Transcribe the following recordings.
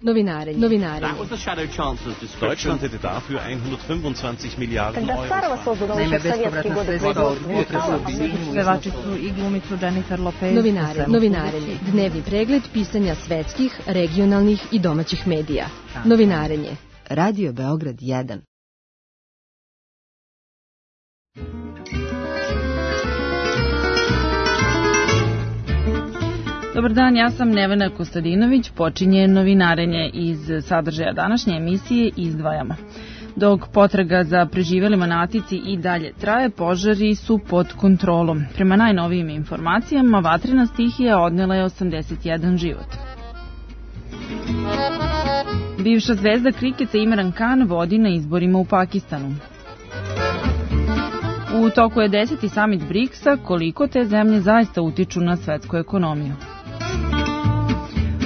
Novinarenje. Deutschland hätte dafür 125 Miliarden Euro. Naime, bespovratna sredstva od pevači su i glumicu Jennifer Lopez. Novinarenje. Dnevni pregled pisanja svetskih, regionalnih i domaćih medija. Novinarenje. Radio Beograd 1. Dobar dan, ja sam Nevena Kostadinović, počinje novinarenje. Iz sadržaja današnje emisije izdvajamo. Dok potraga za preživelima na Atici i dalje traje, požari su pod kontrolom. Prema najnovijim informacijama, vatrena stihija odnela je 81 život. Bivša zvezda kriketa Imran Khan vodi na izborima u Pakistanu. U toku je 10. samit BRICS-a, koliko te zemlje zaista utiču na svetsku ekonomiju.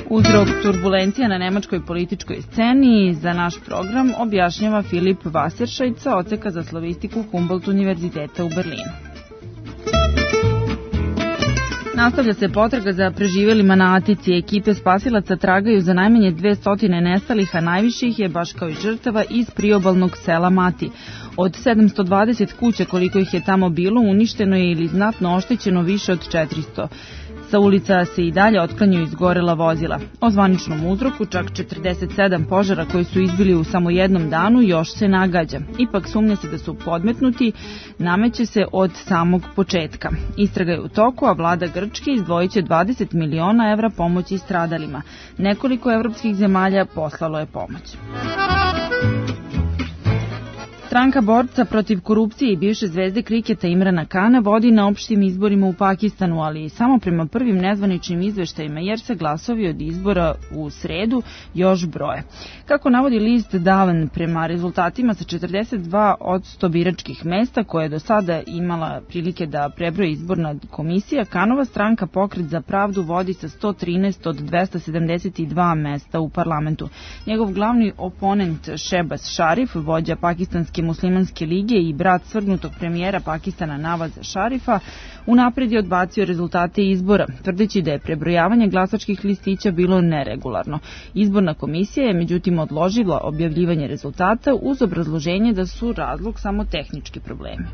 Uzrok turbulencija na nemačkoj političkoj sceni za naš program objašnjava Filip Wasserscheid sa odseka za slavistiku Humboldt univerziteta u Berlinu. Nastavlja se potraga za preživelima na Atici. Ekipe spasilaca tragaju za najmanje 200 nestalih, a najviših je, baš kao i žrtava, iz priobalnog sela Mati. Od 720 kuća koliko ih je tamo bilo, uništeno je ili znatno oštećeno više od 400. Sa ulica se i dalje otklanjaju izgorela vozila. O zvaničnom uzroku, čak 47 požara koji su izbili u samo jednom danu, još se nagađa. Ipak sumnja se da su podmetnuti, nameće se od samog početka. Istraga je u toku, a vlada Grčke izdvojit će 20 miliona evra pomoći stradalima. Nekoliko evropskih zemalja poslalo je pomoć. Stranka borca protiv korupcije i bivše zvezde kriketa Imrana Khana vodi na opštim izborima u Pakistanu, ali samo prema prvim nezvaničnim izveštajima, jer se glasovi od izbora u sredu još broje. Kako navodi list Davan, prema rezultatima sa 42% biračkih mesta koje je do sada imala prilike da prebroji izborna komisija, Khanova stranka Pokret za pravdu vodi sa 113 od 272 mesta u parlamentu. Njegov glavni oponent Shehbaz Sharif, vođa pakistanske muslimanske lige i brat svrgnutog premijera Pakistana Navaza Sharifa, unapred je odbacio rezultate izbora, tvrdeći da je prebrojavanje glasačkih listića bilo neregularno. Izborna komisija je međutim odložila objavljivanje rezultata uz obrazloženje da su razlog samo tehnički problemi.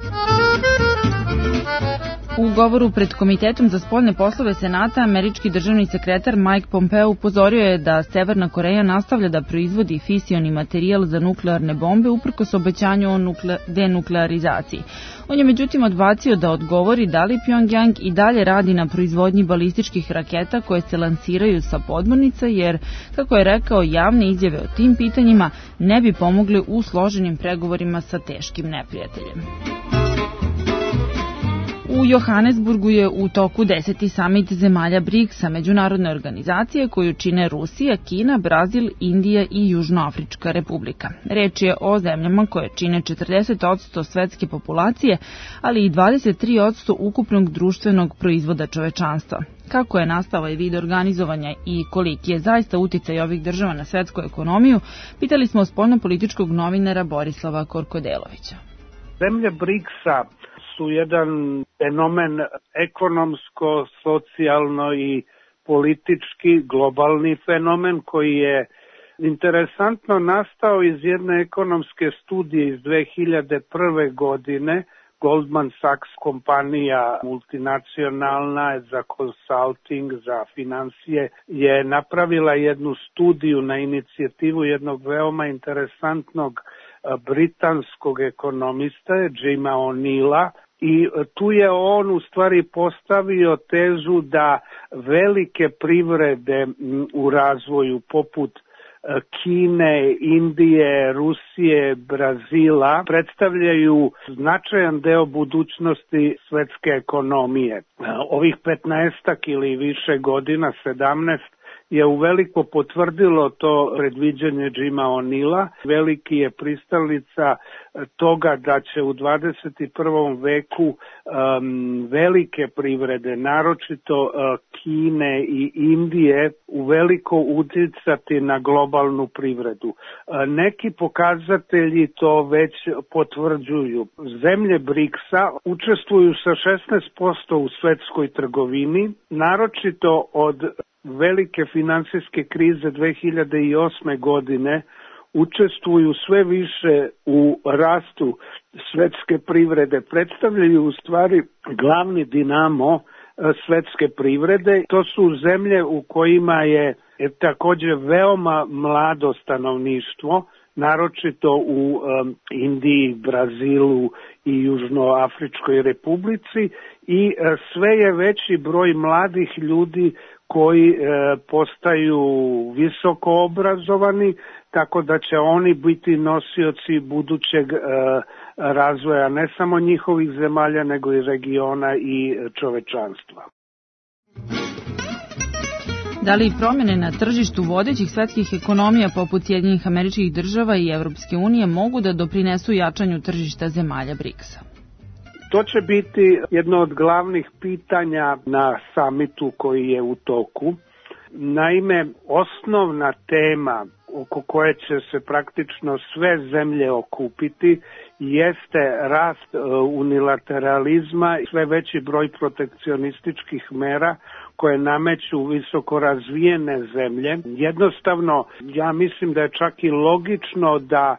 U govoru pred Komitetom za spoljne poslove Senata, američki državni sekretar Mike Pompeo upozorio je da Severna Koreja nastavlja da proizvodi fisioni materijal za nuklearne bombe uprkos obećanju o denuklearizaciji. On je međutim odbacio da odgovori da li Pyongyang i dalje radi na proizvodnji balističkih raketa koje se lansiraju sa podmornica, jer, kako je rekao, javne izjave o tim pitanjima ne bi pomogle u složenim pregovorima sa teškim neprijateljem. U Johannesburgu je u toku 10. samit zemalja BRICS-a, međunarodne organizacije koju čine Rusija, Kina, Brazil, Indija i Južnoafrička republika. Reč je o zemljama koje čine 40% svetske populacije, ali i 23% ukupnog društvenog proizvoda čovečanstva. Kako je nastao ovaj vid organizovanja i koliki je zaista uticaj ovih država na svetsku ekonomiju, pitali smo spoljnopolitičkog novinara Borislava Korkodelovića. Zemlje BRICS-a su jedan fenomen ekonomsko, socijalno i politički globalni fenomen koji je interesantno nastao iz jedne ekonomske studije iz 2001. godine. Goldman Sachs kompanija multinacionalna za consulting, za financije, je napravila jednu studiju na inicijativu jednog veoma interesantnog britanskog ekonomista, Jima O'Neilla, i tu je on u stvari postavio tezu da velike privrede u razvoju poput Kine, Indije, Rusije, Brazila predstavljaju značajan deo budućnosti svetske ekonomije. Ovih 15 ili više godina, 17, je uveliko potvrdilo to predviđanje Jima O'Neilla. Veliki je pristalica toga da će u 21. veku velike privrede, naročito Kine i Indije, uveliko uticati na globalnu privredu. Neki pokazatelji to već potvrđuju. Zemlje BRICS-a učestvuju sa 16% u svetskoj trgovini, naročito od velike finansijske krize 2008. godine učestvuju sve više u rastu svetske privrede, predstavljaju u stvari glavni dinamo svetske privrede. To su zemlje u kojima je također veoma mlado stanovništvo, naročito u Indiji, Brazilu i Južnoafričkoj republici, i sve je veći broj mladih ljudi koji postaju visoko obrazovani, tako da će oni biti nosioci budućeg razvoja ne samo njihovih zemalja, nego i regiona i čovečanstva. Da li promjene na tržištu vodećih svetskih ekonomija poput Sjedinjenih Američkih Država i Evropske unije mogu da doprinesu jačanju tržišta zemalja BRICS-a? To će biti jedno od glavnih pitanja na samitu koji je u toku. Naime, osnovna tema oko koje će se praktično sve zemlje okupiti jeste rast unilateralizma i sve veći broj protekcionističkih mera koje nameću visoko razvijene zemlje. Jednostavno, ja mislim da je čak i logično da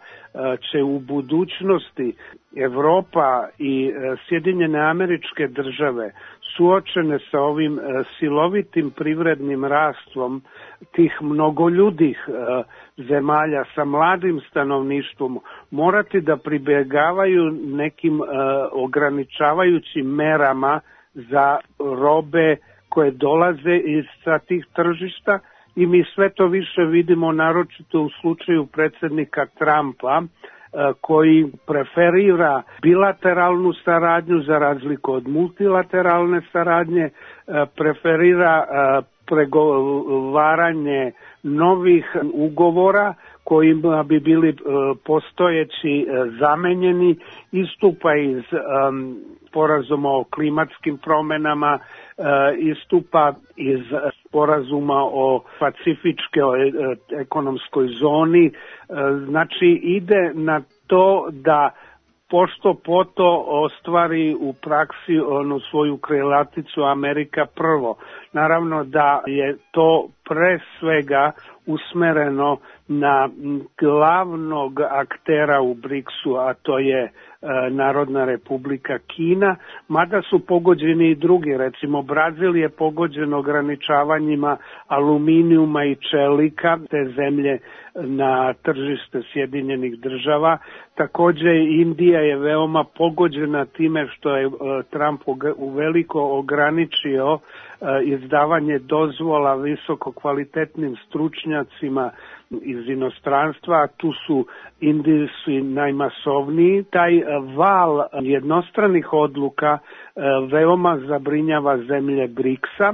će u budućnosti Evropa i Sjedinjene Američke Države suočene sa ovim silovitim privrednim rastvom tih mnogoljudih zemalja sa mladim stanovništvom morati da pribjegavaju nekim ograničavajućim merama za robe koje dolaze sa tih tržišta, i mi sve to više vidimo naročito u slučaju predsjednika Trumpa, koji preferira bilateralnu saradnju za razliku od multilateralne saradnje, preferira pregovaranje novih ugovora kojima bi bili postojeći zamenjeni, istupa iz sporazuma o klimatskim promjenama, istupa iz sporazuma o pacifičkoj ekonomskoj zoni. Znači ide na to da pošto poto ostvari u praksi onu svoju krilaticu Amerika prvo. Naravno da je to pre svega usmereno na glavnog aktera u BRICS-u, a to je Narodna Republika Kina, mada su pogođeni i drugi. Recimo, Brazil je pogođen ograničavanjima aluminijuma i čelika, te zemlje na tržište Sjedinjenih Država. Također Indija je veoma pogođena time što je Trump uveliko ograničio izdavanje dozvola visoko kvalitetnim stručnjacima iz inostranstva, a tu su Indijci najmasovniji. Taj val jednostranih odluka veoma zabrinjava zemlje BRICS-a,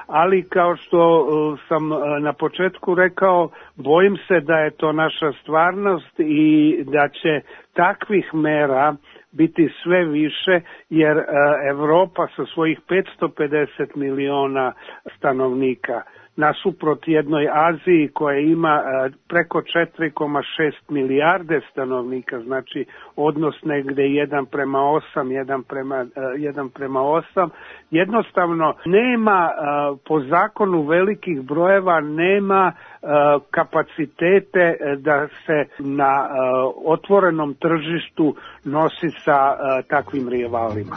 ali kao što sam na početku rekao, bojim se da je to naša stvarnost i da će takvih mera biti sve više, jer Evropa sa svojih 550 miliona stanovnika nasuprot jednoj Aziji koja ima preko 4,6 milijarde stanovnika, znači odnos negde 1:8, 1:8, jednostavno nema po zakonu velikih brojeva, nema kapacitete da se na otvorenom tržištu nosi sa takvim rivalima.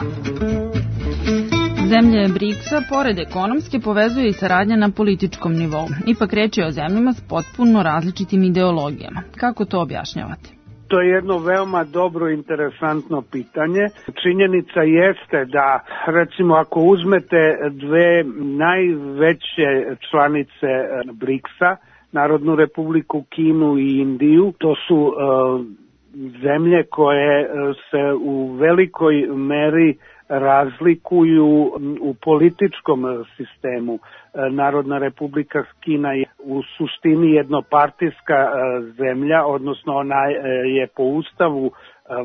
Zemlje BRICS-a, pored ekonomske, povezuje i saradnja na političkom nivou. Ipak reč je o zemljama s potpuno različitim ideologijama. Kako to objašnjavate? To je jedno veoma dobro i interesantno pitanje. Činjenica jeste da, recimo, ako uzmete dve najveće članice BRICS-a, Narodnu Republiku Kinu i Indiju, to su zemlje koje se u velikoj meri razlikuju u političkom sistemu. Narodna Republika Kina je u suštini jednopartijska zemlja, odnosno ona je po ustavu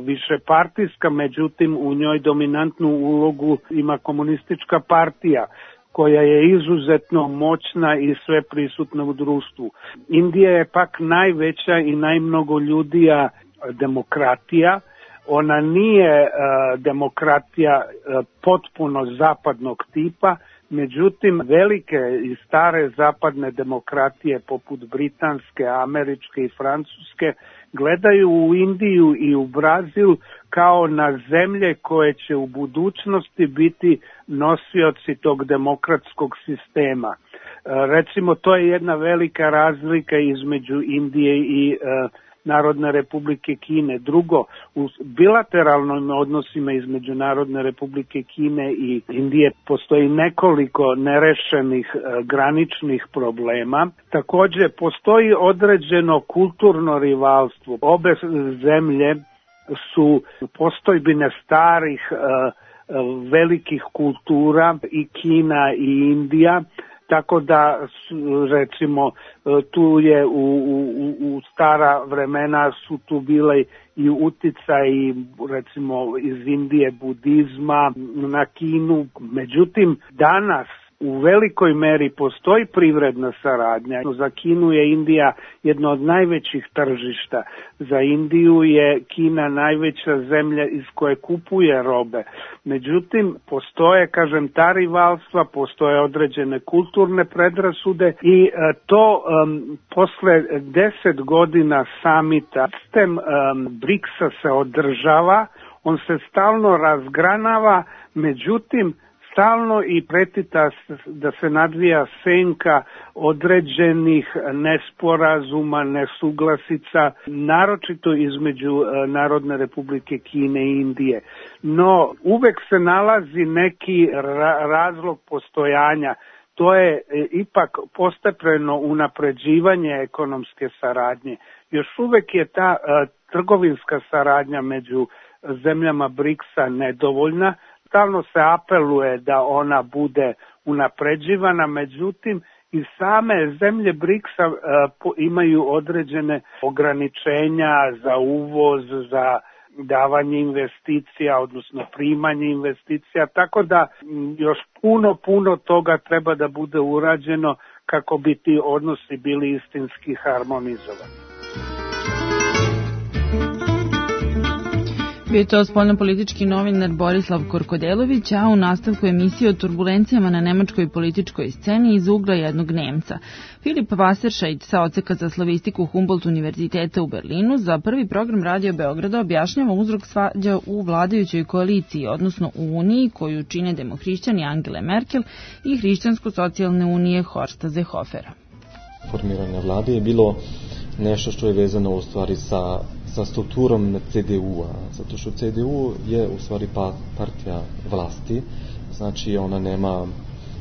višepartijska, međutim u njoj dominantnu ulogu ima komunistička partija koja je izuzetno moćna i sve prisutna u društvu. Indija je pak najveća i najmnogoljudija demokratija. Ona nije demokratija potpuno zapadnog tipa, Međutim, velike i stare zapadne demokratije poput britanske, američke i francuske gledaju u Indiju i u Brazil kao na zemlje koje će u budućnosti biti nosioci tog demokratskog sistema. Recimo, to je jedna velika razlika između Indije i Narodne republike Kine. Drugo, u bilateralnim odnosima između Narodne republike Kine i Indije postoji nekoliko nerešenih graničnih problema. Takođe, postoji određeno kulturno rivalstvo. Obe zemlje su postojbine starih velikih kultura, i Kina i Indija, tako da recimo tu je u stara vremena su tu bile i uticaji recimo iz Indije budizma na Kinu. Međutim, danas u velikoj meri postoji privredna saradnja. Za Kinu je Indija jedno od najvećih tržišta. Za Indiju je Kina najveća zemlja iz koje kupuje robe. Međutim, postoje, kažem, ta rivalstva, postoje određene kulturne predrasude i to posle 10 godina samita sistem BRICS-a se održava, on se stalno razgranava, međutim, stalno i pretita da se nadvija senka određenih nesporazuma, nesuglasica, naročito između Narodne republike Kine i Indije. No, uvek se nalazi neki razlog postojanja. To je ipak postepeno unapređivanje ekonomske saradnje. Još uvek je ta trgovinska saradnja među zemljama BRICS-a nedovoljna. Stalno se apeluje da ona bude unapređivana, međutim i same zemlje BRICS-a imaju određene ograničenja za uvoz, za davanje investicija, odnosno primanje investicija, tako da još puno toga treba da bude urađeno kako bi ti odnosi bili istinski harmonizovani. Bio je to spoljnopolitički novinar Borislav Korkodelović, a u nastavku emisije o turbulencijama na nemačkoj političkoj sceni iz ugla jednog Nemca. Filip Wasserscheid sa odseka za slavistiku Humboldt univerziteta u Berlinu za prvi program Radio Beograda objašnjava uzrok svađa u vladajućoj koaliciji, odnosno u uniji koju čine demohrišćani Angele Merkel i hrišćansko-socijalne unije Horsta Seehofera. Formiranje vlade je bilo nešto što je vezano u stvari sa strukturom CDU-a, zato što CDU je u stvari partija vlasti, znači ona nema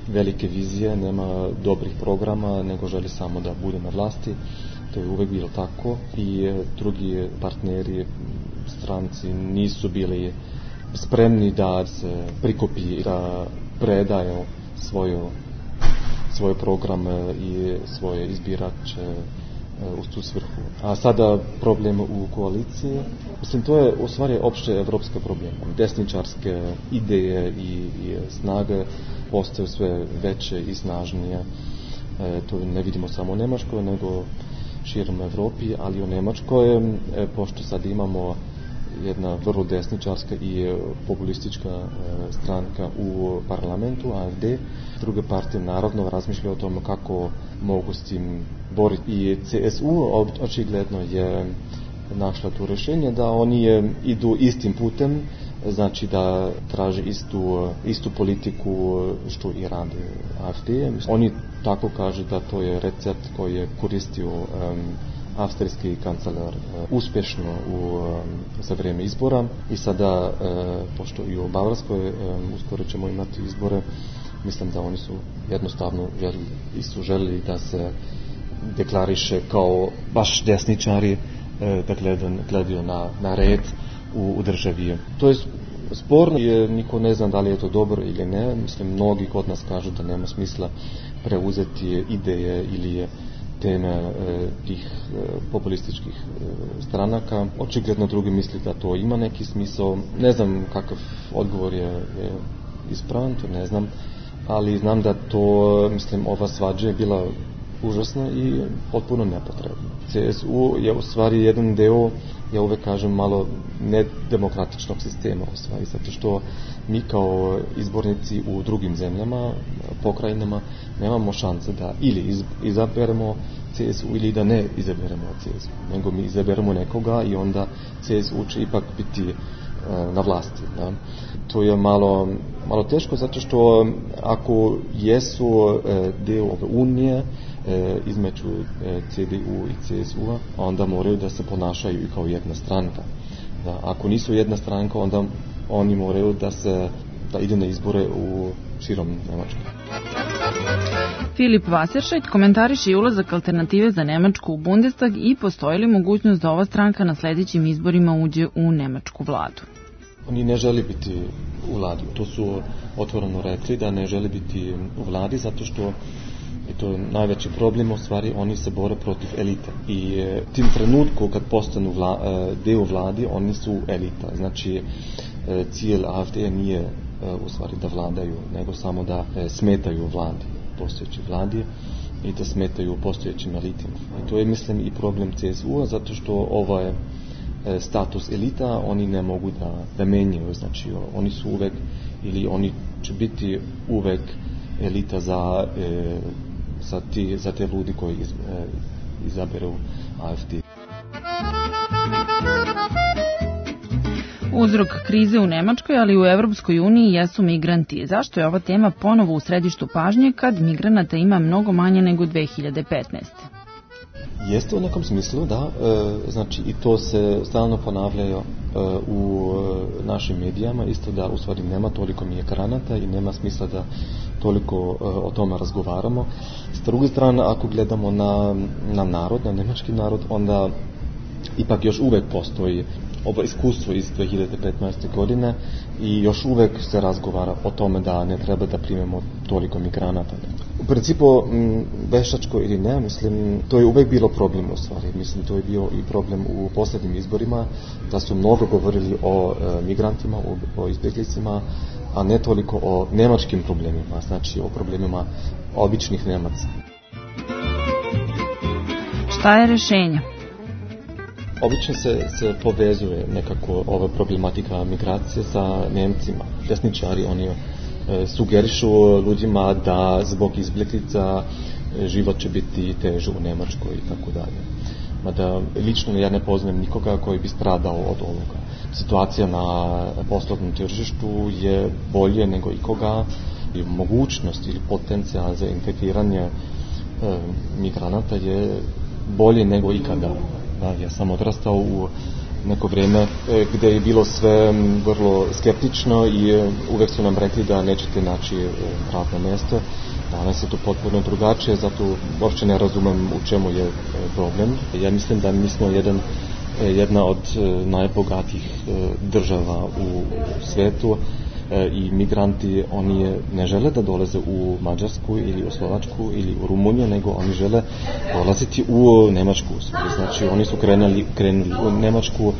velike vizije, nema dobrih programa, nego želi samo da bude na vlasti. To je uvek bilo tako i drugi partneri, stranci nisu bili spremni da se prikupi, da predaju svoje programe i svoje izbirače u tu svrhu. A sada problem u koaliciji, mislim, to je u stvari opšte evropske probleme. Desničarske ideje i snage postaju sve veće i snažnije. To ne vidimo samo u Nemačkoj, nego širom Evropi, ali u Nemačkoj, pošto sad imamo jedna vrlo desničarska i populistička stranka u parlamentu, AfD. Druge partije naravno razmišljaju o tome kako mogu s tim boriti. I CSU očigledno je našla tu rješenje da oni idu istim putem, znači da traže istu politiku što i radi AfD. Oni tako kažu da to je recept koji je koristio avstrijski kancelar uspješno za vrijeme izbora i sada, pošto i u Bavarskoj uskoro ćemo imati izbore, mislim da oni su jednostavno želili da se deklariše kao baš desničari, da gledaju na red u državi. To je sporno i niko ne zna da li je to dobro ili ne. Mislim, mnogi kod nas kažu da nema smisla preuzeti ideje ili teme tih populističkih stranaka. Očigledno drugi misli da to ima neki smisao. Ne znam kakav odgovor je ispravan, to ne znam, ali znam da to, mislim, ova svađa je bila užasna i potpuno nepotrebna. CSU je u stvari jedan deo ja uvek kažem, malo nedemokratičnog sistema u stvari, zato što mi kao izbornici u drugim zemljama, pokrajinama, nemamo šanse da ili izaberemo CSU ili da ne izaberemo CSU, nego mi izaberemo nekoga i onda CSU će ipak biti na vlasti. Da? To je malo teško, zato što ako jesu deo ove unije između CDU i CSU-a, onda moraju da se ponašaju i kao jedna stranka. Da? Ako nisu jedna stranka, onda oni moraju da ide na izbore u širom Nemačkoj. Filip Wasserscheid komentariše i ulazak Alternative za Nemačku u Bundestag i postoji li mogućnost da ova stranka na sledećim izborima uđe u nemačku vladu. Oni ne žele biti u vladi. To su otvoreno rekli da ne žele biti u vladi zato što je to najveći problem, u stvari oni se bore protiv elite. I tim trenutku kad postanu deo vladi, oni su elita. Znači, cilj AfD nije u stvari da vladaju, nego samo da smetaju vladi, postojeći vladi i da smetaju postojećim elitima. I to je, mislim, i problem CSU-a, zato što ovaj status elita oni ne mogu da menjaju. Znači, oni su uvek, ili oni će biti uvek elita za te ljudi koji izaberu AfD. Uzrok krize u Nemačkoj, ali i u Evropskoj uniji jesu migranti. Zašto je ova tema ponovo u središtu pažnje kad migranata ima mnogo manje nego 2015. Jeste u nekom smislu, da. Znači, i to se stalno ponavljaju u našim medijama, isto da u stvari nema toliko migranata i nema smisla da toliko o tome razgovaramo. S druge strane, ako gledamo na narod, na nemački narod, onda ipak još uvek postoji ovo iskustvo iz 2015. godine i još uvek se razgovara o tome da ne treba da primemo toliko migranata. U principu, veštačko ili ne, mislim, to je uvek bilo problem u stvari. Mislim, to je bio i problem u poslednjim izborima, da su mnogo govorili o migrantima, o izbjeglicima, a ne toliko o nemačkim problemima, znači o problemima običnih Nemaca. Šta je rešenje? Obično se povezuje nekako ova problematika migracije sa Nemcima. Desničari, oni sugerišu ljudima da zbog izbjeglica život će biti teže u Nemačkoj i tako dalje. Mada lično ja ne poznajem nikoga koji bi stradao od ovoga. Situacija na poslovnom tržištu je bolje nego ikoga i mogućnost ili potencijal za integriranje migranata je bolje nego ikada. Ja sam odrastao u neko vrijeme gdje je bilo sve vrlo skeptično i uvijek su nam rekli da nećete naći radno mjesto. Danas je to potpuno drugačije, zato uopće ne razumem u čemu je problem. Ja mislim da mi smo jedna od najbogatijih država u svijetu i migranti, oni ne žele da dolaze u Mađarsku ili u Slovačku ili u Rumuniju, nego oni žele dolaziti u Nemačku. Znači, oni su krenuli u Nemačku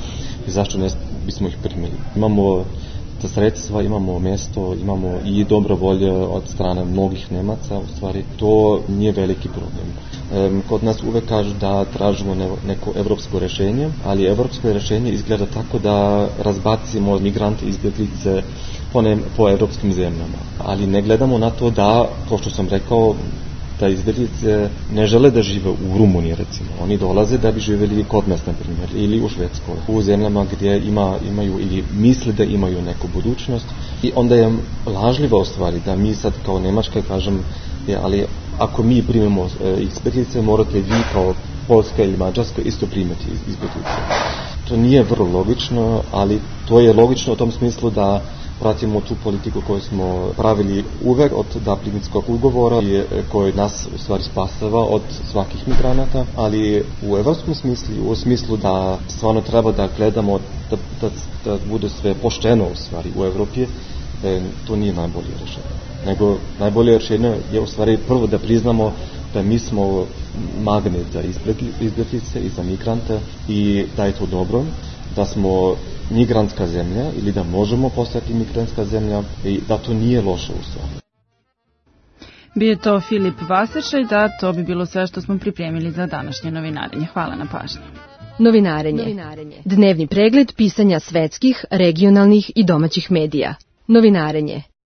i zašto ne bismo ih primili. Imamo ta sredstva, imamo mjesto, imamo i dobro volje od strane mnogih Nemaca, u stvari to nije veliki problem. Kod nas uvek kažu da tražimo neko evropsko rješenje, ali evropsko rješenje izgleda tako da razbacimo migrante iz izbjeglice po evropskim zemljama. Ali ne gledamo na to da, kao što sam rekao, da izbjeglice ne žele da žive u Rumuniji, recimo. Oni dolaze da bi živjeli kod nas, na primjer, ili u Švedskoj, u zemljama gdje imaju ili misle da imaju neku budućnost. I onda je lažljiva u stvari da mi sad kao Nemačka kažem, ali ako mi primimo izbjeglice, morate vi kao Poljska ili Mađarska isto primiti izbjeglice. To nije vrlo logično, ali to je logično u tom smislu da pratimo tu politiku koju smo pravili uvek od Dublinskog ugovora koji nas u stvari spasava od svakih migranata, ali u evropskom smislu, u smislu da stvarno treba da gledamo da bude sve pošteno u stvari u Evropi, to nije najbolje rješenje. Nego najbolje rješenje je u stvari prvo da priznamo da mi smo magnet za izbjeglice i za migrante i da je to dobro, da smo migrantska zemlja ili da možemo postati migrantska zemlja i da to nije loše u stvari. Bio je to Filip Wasserscheid, a to bi bilo sve što smo pripremili za današnje novinarenje. Hvala na pažnji. Novinarenje. Dnevni pregled pisanja svetskih, regionalnih i domaćih medija. Novinarenje.